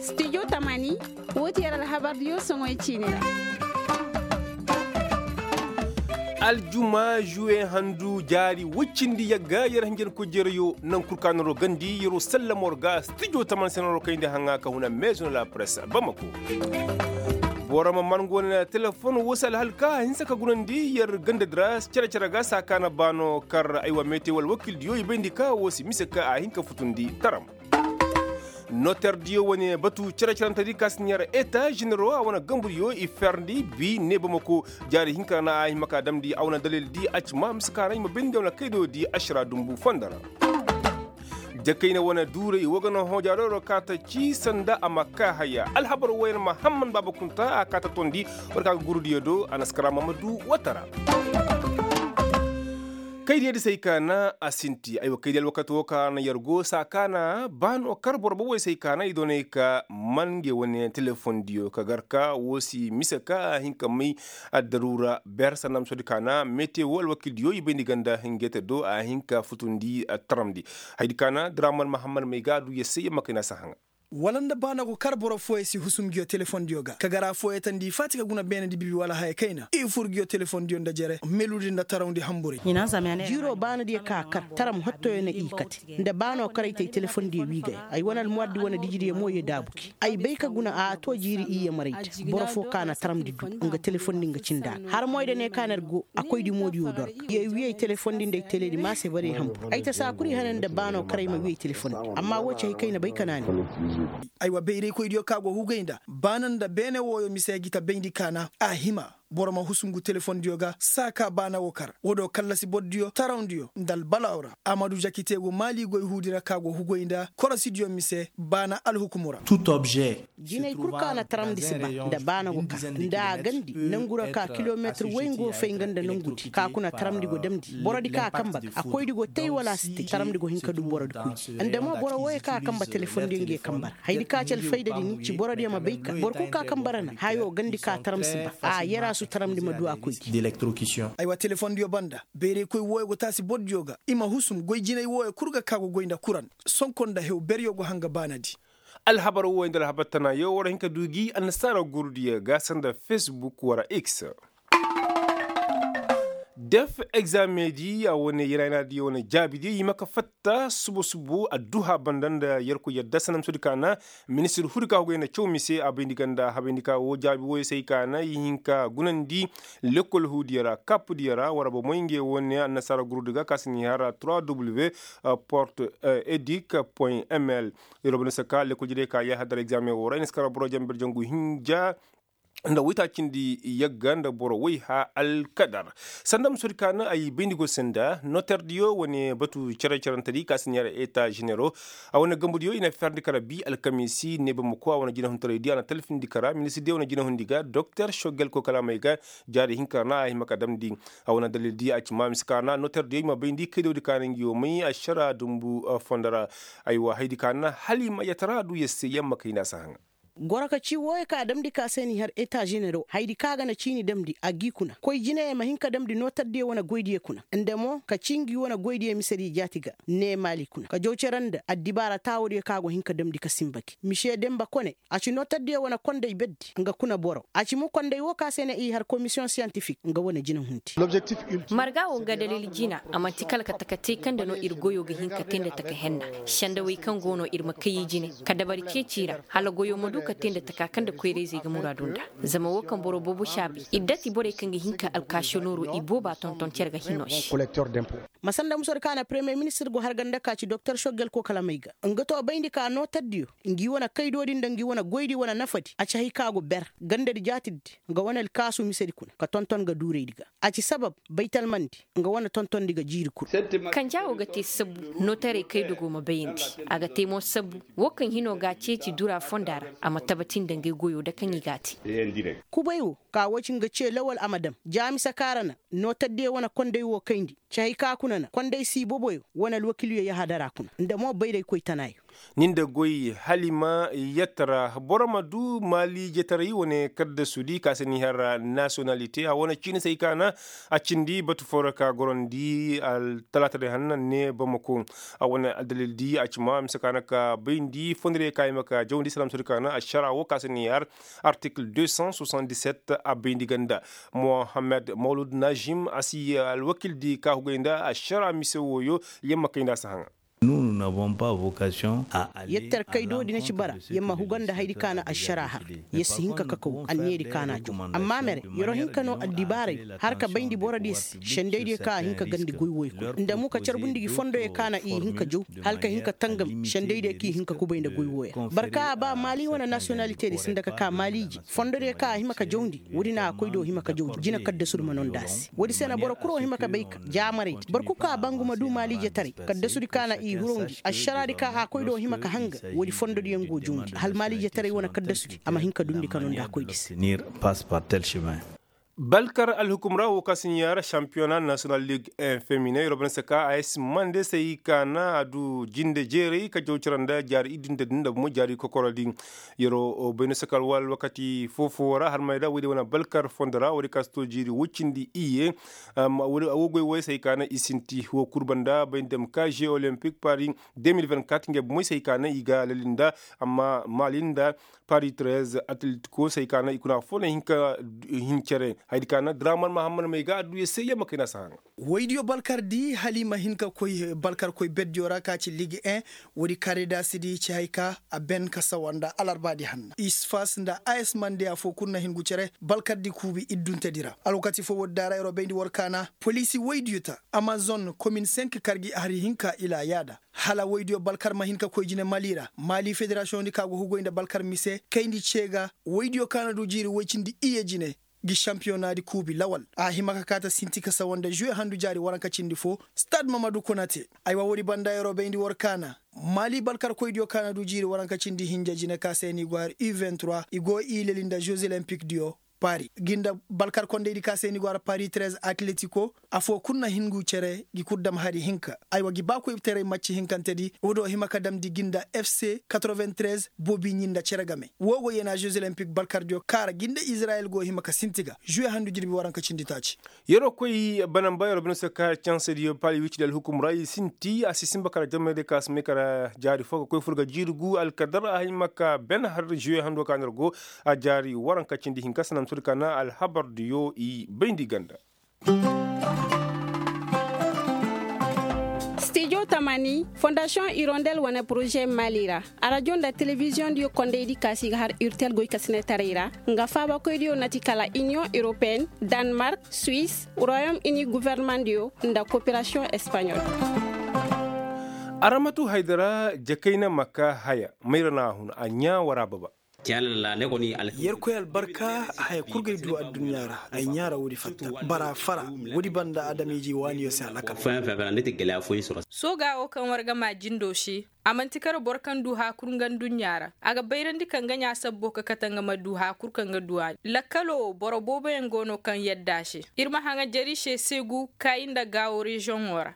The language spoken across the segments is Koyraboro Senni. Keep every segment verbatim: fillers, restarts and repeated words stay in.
Studio tamani, woo ti yer alhabardiyo soŋoy ciini ra. Aljuma juwe handu jaari woy cindi yagga yer hinjankoy jereyo naŋ kul ka noro gandi yeroo sallamo ra ga studio tamani se noro kayndi haŋa ka huna maison la presse bamako. Boro ma man go ne telefon woo se alhal ka a hinsa ka gunandi yer gandadi ra cere-cere ga saa ka na baano kar aywa meete wala wakiildiyo i bayndi ka woo si mise ka a hin ka futundi taram. Noterdiyo wane batu cere-cerentedi ka si ɲaara eta ženero a wane gambudiyo i ferndi bi ne bamako jaari hinka ra na a hima ka damndi a wane dalildi a ci ma mise ka ra i ma bayndi a wane kaydoyodi ašara dumbu fondo ra. Jakayna wane duuray woo ga na hoojaadoro ka ta ci sanda a ma kaa haya alhabar wooyaŋ mahamman baaba kunta a kaa ta tondi war ka ga gurudiyo do a na si kar a ma ma du watara. Kaydiyo di se ay kaana a sinti aywa kaydiyo alwakati woo ka na yer go saa kaana ba no kar boro booboy se ay kaana i doonay ka man ngey wane telefondiyo ka gar ka woo si mise ka a hin ka may addaruura ber sanda ma soodi kaana mete woo alwakiildiyo i bay nda i ganda hinjete do a hin ka futundi taramndi. Haydi kaana draman mahammad may ga a du yer se yer ma kay na si a haŋa. Wala nda baana go kar boro fooyey si husum nguyo telefondiyo ga ka gar a fooyey tandi faati ka guna beenedi bibi wala haya kayna i fur nguyo telefondiyo nda jere meludi nda tarawndi hamburay. Jiiroo baanadiyo ka a kar taram hottoyo na i kate nda baano kar ay te ay telefondiyo wiigaya ay wane almuwardi wane dijidiyo mo ye daabu gi ay bay ka guna a too jiiri iyye marayda. Boro foo ka na taramndi du nga telefondi nga cinda a har moy da ne ka na ir go a koydi moodiyo doro. Ye wii ay telefondi nda ay teleedi maa se bare hambur ay ta saa kul i hane nda baano kar ay ma wii ay telefondi. Amma woo ci hay kay na bay ka naani. Aywa bayraykoydiyo ka go hugay nda baana nda beene wooyo mise gi ta bayndi kaana a hima boro ma husu ngu telefondiyo ga saa ka baana woo kar woo do kallasi bordiyo tarawndiyo nda albalaw ra a ma du jakiteegu maali goy huudi ra ka go hugay nda korosidiyo mise baana alhukumu ra. Jinay kul ka na taramndi si ba nda baana go ka nda a gandi nangu ra ka kilometir way nga go fay nga nda nangudi ka kuna taramndi go damndi borodi ka a kamba ga a koydi go tay wala a si tay taramndi go hin ka du borodi koydi nda mo boro wooyo ka a kamba telefondiyo nge kamba ra haydi ka ci alfaydadi ni ci borodiyo ma bay ka boro kul ka a kamba ra na hayo gandi ka taram si ba a yera su taramndi ma du a koydi. Aywa telefondiyo banda bayraykoy wooyo go taasi bordiyo ga i ma husum goy jinay wooyo kul ga ka go goy nda kuran sonko nda hew beryo go hanga baanadi. Alhabar wooyo nda alhabar tanaayo war hin ka du gi annasaara gurudiyo ga sanda facebook wara x. Def egzaameŋ di a wane yaraynaa di wane jaabi di i ma ka fatta subo subo adduha banda nda yerkoy yadda sanda ma soodi ka na ministir huri ka hugay na caw mise a bayndi ganda habayndi ka woo jaabi wooyo se ay ka na i hin ka gunandi. Lekkol huudiyo ra kap diyo ra war ba moy ngey wane annasaara gurudi ga ka si ni har trois w porte edic point ml. Yer wo banda se ka lekkol jidey ka yahadar egzaameŋ woo ra i na si kar boro janber jangu hinja nda woytaacindi yagga nda boro woyha alkadar. Sanda ma soodi ka na ay bayndi go se nda noterdiyo wane batu cere-cerentedi ka si neera eta ženero a wane gambudiyo i na ferndi kara bi alkamiisi neeba ma koy a wane jinahuntaraydi a na talfindi kara ministirdiyo wane jinahundi ga doktor shogel kokalamey ga. Jaari hinka ra na a hima ka damndi a wane dalildi a ci ma mise ka ra na noterdiyo i ma bayndi kaydawdi ka na ngi wo may ašara dumbu fondo ra. Aywa haydi ka na hala i ma yatara du yer se yer ma kay na si haŋa. Goro ka ci wooyo ka a damndi ka se ni har eta ženero haydi ka ga na ciini damndi a g'i kuna koy jinayey ma hin ka damndi notardiyo wane goydiyo kuna nda mo ka ci ngi wane goydiyo misediyo jaati ga ne maali kuna ka jaw cere nda addibaara taawodiyo ka go hin ka damndi ka sinba gi mise demba kone. A ci notardiyo wane konday berdi nga kuna boro a ci mo konday woo ka se ne i har komisiyoŋ siyantifik nga wane jinahundi. Marga wo nga dalil jina a man'ti kala ka taka te kaŋ nda no ir goyo ga hin ka te nda taka henna. Sendawey kaŋ go no ir ma kay i jine ka dabari ceeci ra hala goyo ma du ka te nda taka kaŋ nda koyrayzey ga muraadu nda. Zama wo kaŋ boro boobo si a bay ir dati borey kaŋ ga hin ka alkaasinooro i booba tonton cere ga hino se. Ma sanda muso di ka na premiyer ministir go harganda ka ci doktor sogel kokalamey ga nga to bayndi ka notardiyo ngi wane kaydoodi nda ngi wane goydi wane nafadi a ci hay ka go ber gandadi jaatidi nga wane alkaasu misedi kuna ka tonton ga duuraydi ga. A ci sabab baytalmandi nga wane tontondi ga jiiri kul. Kanja wo ga te sabbu notaray kaydogo ma bayandi. A ga te mo sabbu wo kaŋ hino ga a ceeci dura fonda ra a ma tabati nda ngey goyo da kaŋ i ga a te. Kubay wo ka wo ci nga ce lawal a ma dam jaamisa kaŋ a ra na notardiyo wane konday wo kayndi. Ci hay ka kuna na konday siiboboyo wane alwakiilyo yahadara kuna nda mo bayraykoy tanaayo. Ni nda goy halima yattara boro ma du maaliijetaray wane kaddasudi ka se ni har nasiyonalite a wane ciini se ay kaana a cindi batu foo ra ka gorandi talaataday hanna ne bamako. A wane addalildi a cima mise kaana ka bayndi fondodiyo ka hima ka jawndi salaamsudi kaana ašara woo ka se ni har artikil deux cent soixante-dix-sept a bayndi ganda. Mohammed mawlud najim a si alwakildi ka hugay nda ašara mise wooyo. Yamma kay nda a si haŋa. Yettar kay do di na ci bara yer ma huga nda hayadi ka na ašara har. Yer si hin ka kakaw anniya di ka na a jaw. Amma mere yer wo hin ka no addibaarey har ka bayndi borodiyo se sendaydiyo ka a hin ka gandi goy wooyo kul nda mo ka carbundi gi fondoyo ka na i hin ka jaw. Hala ka hin ka tangam sendaydiyo ka i hin ka kubay nda goy wooyo boro ka a ba maali wane nasiyonalite di sinda ka ka maaliije fondodiyo ka a hima ka jawndi. Woodi na a koy do hima ka jawndi jina kaddasudi ma no nda a se woodi se na boro kul wo hima ka bay ka jaamaraydi boro kul ka a ba nga ma du maaliijetaray kaddasudi ka na i hirawndi ašaraadi ka a koy do hima ka hanga. Woodi fondodiyo nga wo jawndi hala maaliijetaray wane kaddasudi a ma hin ka dundi ka no nda a koydi se. Balkar alhukum ra wo ka si ɲaara šampiyona nasiyonal lig en femine yer wo bay no se ka a si mande se i kaana a du jinde jeeray ka jaw cere nda jaari iddu nda din nda bumo jaari kokoro din. Yer wo bay no se ka alwal wakati foo-foo ra har mayda woodiyo wane balkar fondo ra woodiyo ka si to jiiri woy cindi iyye. A woo goy wooyo se i kaana i sinti woo kul banda bay nda dem ka jeux olympique paris deux mille vingt-quatre ngey bumoy se i kaana i ga lali nda amma maali nda paris treize atletiko se i kaana i kuna foo na hin ka hin cere hayadi kaana draman mahammad may ga adduya se yamma kay na si haŋa. Woydiyo balkardi hala i ma hin ka koy balkarkoy berdiyo ra ka ci ligue un. Woodi karidasidi ci hay ka a ben ka sawa nda alarbaadi hanna isfas nda a s mande afoo kul na hin gu cere balkardi kuubi idduntedi ra alwakati foo woodi daara yer wo bayndi war kaana poliisi woydiyo ta amazon komin cinq kargi hari hinka ila yaada. Hala woydiyo balkar ma hin ka koy jine mali ra mali federasiyoŋdi ka go hugoy nda balkar mise kayndi cee ga woydiyo ka na du jiiri woy cindi iyye jine. Gi šampiyonaadi kuubi lawal a hima ka kaa ta sinti ka sawa nda žuwe handu jaari waranka cindi foo. Stad mamadu konate. Aywa woodi banda yeroo bayndi war kaana mali balkarkoydiyo ka na du jiiri waranka cindi hinja jine ka se ni go har u vingt-trois i go i leli nda žeux olympique diyo. Paris gi nda balkarkondaydi ka se ni go har paris treize atletiko. Afoo kul na hin ngu cere gi kul dam hari hinka. Aywa gi baakoytaray macci hinkantedi woodi wo hima ka damndi gi nda fc quatre-vingt-treize boobi ɲi nda cere game woo go yeenaa žeux olympique balkardiyo kaara gi nda izirayel go hima ka sinti ga žuwe handu jirbi waranka cindi taaci. Yeroo koy banamba yeroo bine se ka cansediyo pali wici da alhukum ra i sinti a si sinba kala jamaydiyo ka si may kala jaari fo ka koy fur ga jiiri gu alkadar a hima ka ben har žuwe hando ka ner go. A jaari waranka cindi hinka sanantu di ka na alhabardiyo i bayndi ganda. Stijo tamani fondasiyoŋ irondel wane poroze mali ra arajo nda telebiziyoŋdiyo kondaydi ka si ga har urtel goykasinetaray ra. Nga faabakoydiyo na ti kala iniyoŋ europeen, danmark, suwis, royom ini gofornemandiyo nda koperasiyoŋ espanyol. Aramatu haydara jakayna maka haya mayra na a hun a ɲaa wara baba. Yerkoy albarka haya kul gay du adduɲɲa ra ay ɲaa ra woodi fatta bara fara woodi banda adamiiji waaniyo se alakal. Sooga wo kaŋ war ga maa jindo se a man'ti kar boro kaŋ du haakur nga nduɲɲa ra a ga bayrandi kaŋ ga ɲaa sabbo ka kate nga ma du haakur kaŋ ga du a lakkalo wo boro booboyaŋ go no kaŋ yadda a se. Ir ma haŋa jari se seegu kaayi nda gaawo reziyoŋo ra.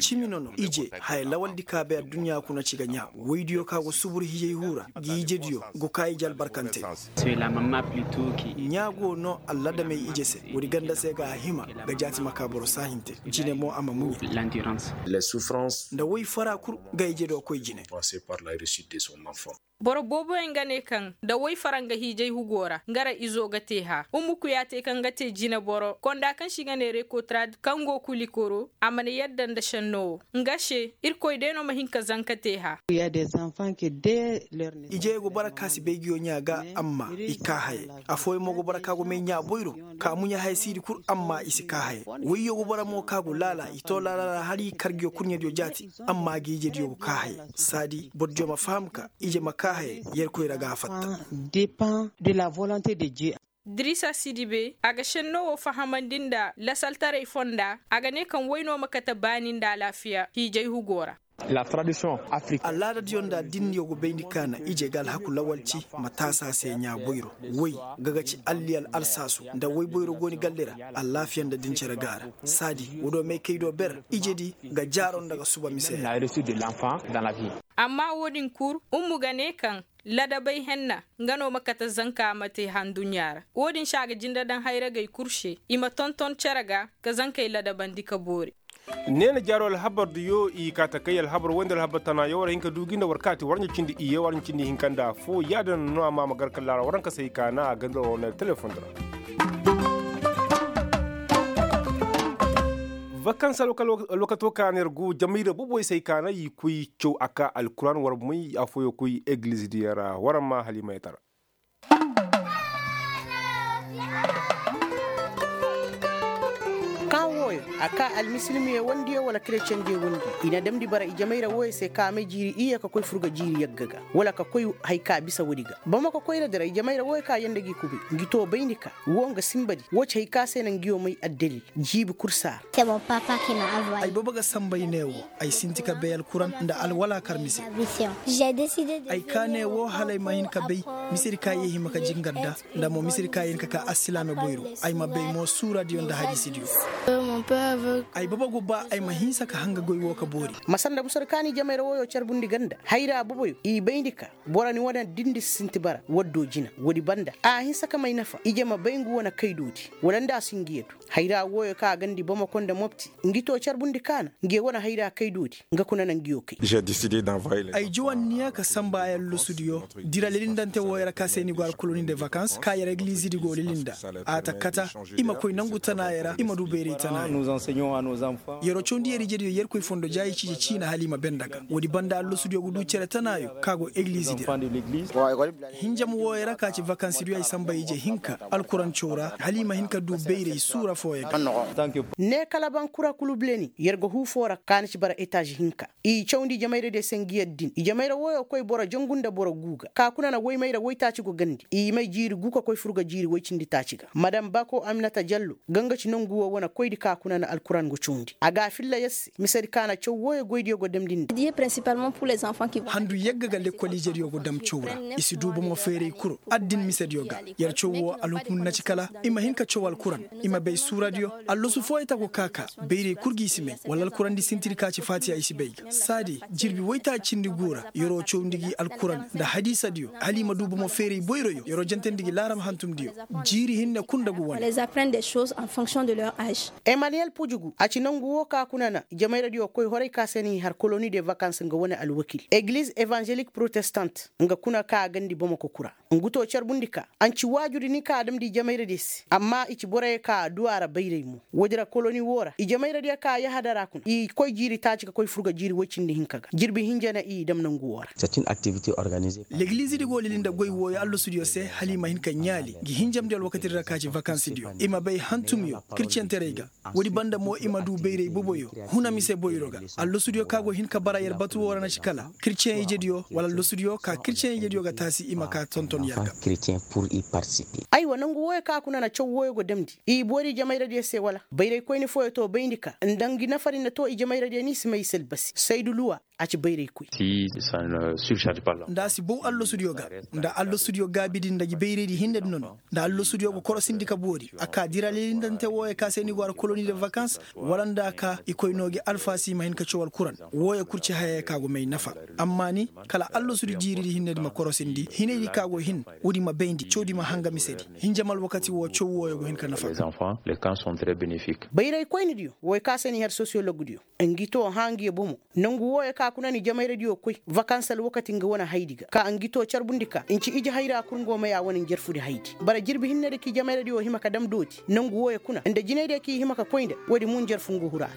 Cimi no no ije haya lawaldi ka bay adduɲɲa kuna ci ga ɲaa woydiyo ka go subur hijay huu ra. Ngi ijediyo go kaa ije albarkante. Ɲaa go no alladamey ije se woodi ganda se ga a hima ga jaati ma kaa boro saahinte. Jine mo a ma muɲe. Nda woy fara kul ga ijediyo koy jine. Boro booboyaŋ ga ne kaŋ nda woy fara nga hiijay hugo ra nga ra izo ga te hã ummuku ya te kaŋ ga te jineboro konda kaŋ se i ga ne rekotrad kaŋ go kulikoro a mana yadda nda šenno wo. Nga se irkoy day no ma hin ka zanka te hã. Ijey go bara ka si bay nguyo ɲaa ga amma i kaa hayey. Afooyaŋ mo go bara ka go may ɲaa boyro ka muɲa haya siidi kul amma i si kaa hayey. Woyyo go bara mo ka go laala i to laala ra hala i kar nguyo kurɲediyo jaati. Amma ga ijediyo go kaa hayey saadi borodiyo ma faham ka ije ma kaa hayey. Yerkoy ra ga a fatta. Dirisa sidibe a ga šenno wo fahamandi nda lasaltaray fonda a ga ne kaŋ wayno ma kate baani nda alaafiya hiijay hugo ra. Alaadadiyo nda addiiniyo go bayndi ka na ije ga alhaku lawalci ma taasa se ɲaa boyro. Woy ga ga ci alliyal alsaasu nda woy boyro go ni galli ra. Allaafiya nda din cere ga a ra. Saadi woo do may kay do ber ijedi ga jaaro nda ga suba mise. Amma woo din kul ummu ga ne kaŋ ladabay henna nga no ma kate zanka ma te handuɲɲa ra. Woo din se a ga jinde daŋ hayragey kul se i ma tonton cere ga ka zankey ladabandi ka boori. Neena jaaro alhabar diyo i kaa ta kay alhabar wayndi alhabar tana yaŋ war hin ka du gi nda war kaati war ɲa cindi iyye war ɲa cindi hinka nda foo yaadin no a ma a ma gar kala ra war hanka se i kaana a ganda war wane telefoŋ di ra. Vakans alwakato kaana yar go jamayra boboy se i kaana i koy caw a kaa alkuraan war may afooyaŋ koy egiliz diyaŋ ra war ma halimayatara. Kaŋ wooyo a kaa almisilimiyo wandiyo wala kereceŋdiyo wandiyo i na damndi bara i jamayra wooyo se ka a may jiiri iyye ka koy furga jiiri yagga ga wala ka koy haya ka bisa woodi ga bamako koyradi ra i jamayra wooyo ka yanda gi kubay ngi too bayndi ka woo nga sinbadi woo ci haya ka se na ngiyo may addalil jiibi kul saara. Ay baba ga samba ay ne woo ay sinti ka bay alkuran nda alwala kar mise. Ay kaa ne woo hala ay ma hin ka bay misedi ka ye hima ka jingar nda nda mo misedi ka ye hin ka ka alsilaame boyro. Ay ma bay mo suuradiyo nda hadiisidiyo. Ay baba go ba ay ma hinsa ka hanga goy woo ka boori. Masanda busar ka ni jamayra wooyo carbundi ganda hayra boboyo i bayndi ka boro ni wane dindi si sinti bara waddo jina woodi banda a hinsa ka may nafa ije ma bay ngu wane kaydoodi wala nda a si ngiya du. Hayra wooyo ka a gandi bamako nda mopti ngi too carbundi kaana ngiyo wane hayra kaydoodi nga kuna na ngiyo kay. Ay jawanniya ka samba ay allosudiyo dira lelindante wooyo ra ka se ni go alkoloni de vakans ka yer egilizidi go lelinda. A ta kata i ma koy nangu tanaayo ra i ma du bayray tanaayo. Yer'o cawndi yer ijediyo yerkoy fondo jaayi ciije ciina hala i ma benda ga woodi banda allosudiyo ga du cere tanaayo ka go egilizidi ra. Hinjam wooyo ra ka ci vakansidiyo ay samba ije hinka alkuran caw ra hala i ma hin ka du bayray suura fooyo ga. Ne kala bankura kulu buleni yer ga huu foo ra ka na ci bara etaaz hinka i cawndi jamayradiyo se ngi yer din i jamayra wooyo koy boro jangu nda boro guuga ka kuna na woymayra woytaaci go gandi i may jiiri guu ka koy furga jiiri woy cindi taaci ga madam bako aminata jallo ga nga ci nongu woo wane koydi ka kuna na alkuran go cawndi a ga a filla yer se misedi ka na caw wooyo goydiyo go damndi nda. Handu yagga ga lekkol ijediyo go dam caw ra i si du bomo feeray kul addin misediyo ga. Yer caw woo alhukum na ci kala i ma hin ka caw alkuran i ma bay suuradiyo. Allosu fooyo ta go ka ka bayray kul gi i si may wala alkurandi sintidi ka ci faatiya i si bay ga saadi jirbi woytaaci cindi guu ra yer'o cawndi gi alkuran nda hadiisadiyo hala i ma du bomo feeray boyroyo yer'o jantandi gi laaram hantumdiyo. Jiiri hinne kul nda gu wane. Emaniyel pujugu a ci nangu woo ka kuna na jamayradiyo koy horay ka se ni har koloni de vakans nga wane alwakil egliz evanzelik protestant nga kuna ka a gandi bamako kura. Ngu too carbundi ka a nci waajudi ni ka a damndi jamayradiyo se amma i ci boroyo ka a duu a ra bayray mo woodi ra koloni woo ra i jamayradiyo ka a yahada ra kuna i koy jiiri taaci ka koy furga jiiri woy cindi hinka ga jirbi hinja na i dam nangu woo ra. Legilizidi go lili nda goy wooyo allasudiyo se hala i ma hin ka ɲaali ngi hinjamdiyo alwakatidi ra ka ci vakansidiyo i ma bay hantumyo kircentaray ga. Woodi banda mo i ma du bayray boboyo huna mise boyro ga. Allasudiyo ka go hin ka bara yer batu woo ra na ci kala kirceŋ ijediyo wala allasudiyo ka kirceŋ ijediyo ga taasi i ma ka tonton yer ga. Aywa nangu wooyo ka kuna na caw wooyo go damndi i boori jamayradiyo se wala bayraykoyni fooyo to bayndi ka nda ngi nafari na to i jamayradiyo ni si may i se albasi saydu luwa. A ci bayray koy. Nda a si bow allasudiyo ga nda allasudiyo gaabidi nda gi bayraydi hinnedi nono nda allasudiyo ga korosindi ka boori a ka dira lelindante wooyo ka se ni go ara koloni de vakans wala nda a ka i koy noo gi alfaasi i ma hin ka caw alkuran. Wooyo kul ci hayey ka go may nafa. Amma ni kala allasudi jiiridi hinnedi ma korosindi hinaydi ka go hin woodi ma bayndi cawdi ma hanga misedi. Hinjam alwakati woo caw wooyo go hin ka nafa. Bayraykoynidiyo wooyo ka se ni har sosiyologdiyo ngi too hãa ngi bomo. Nangu wooyo ka kuna ni jamayradiyo koy vakans alwakati nga wane haydi ga ka ngi too carbundi ka nci ije hayra kul nga wo may a wane njarfudi haydi bara jirbi hinnedi k'i jamayradiyo hima ka dam dooti nangu wooyo kuna nda jinaydiyo k'i hima ka koy nda woodi mo njarfu nga huru a ra.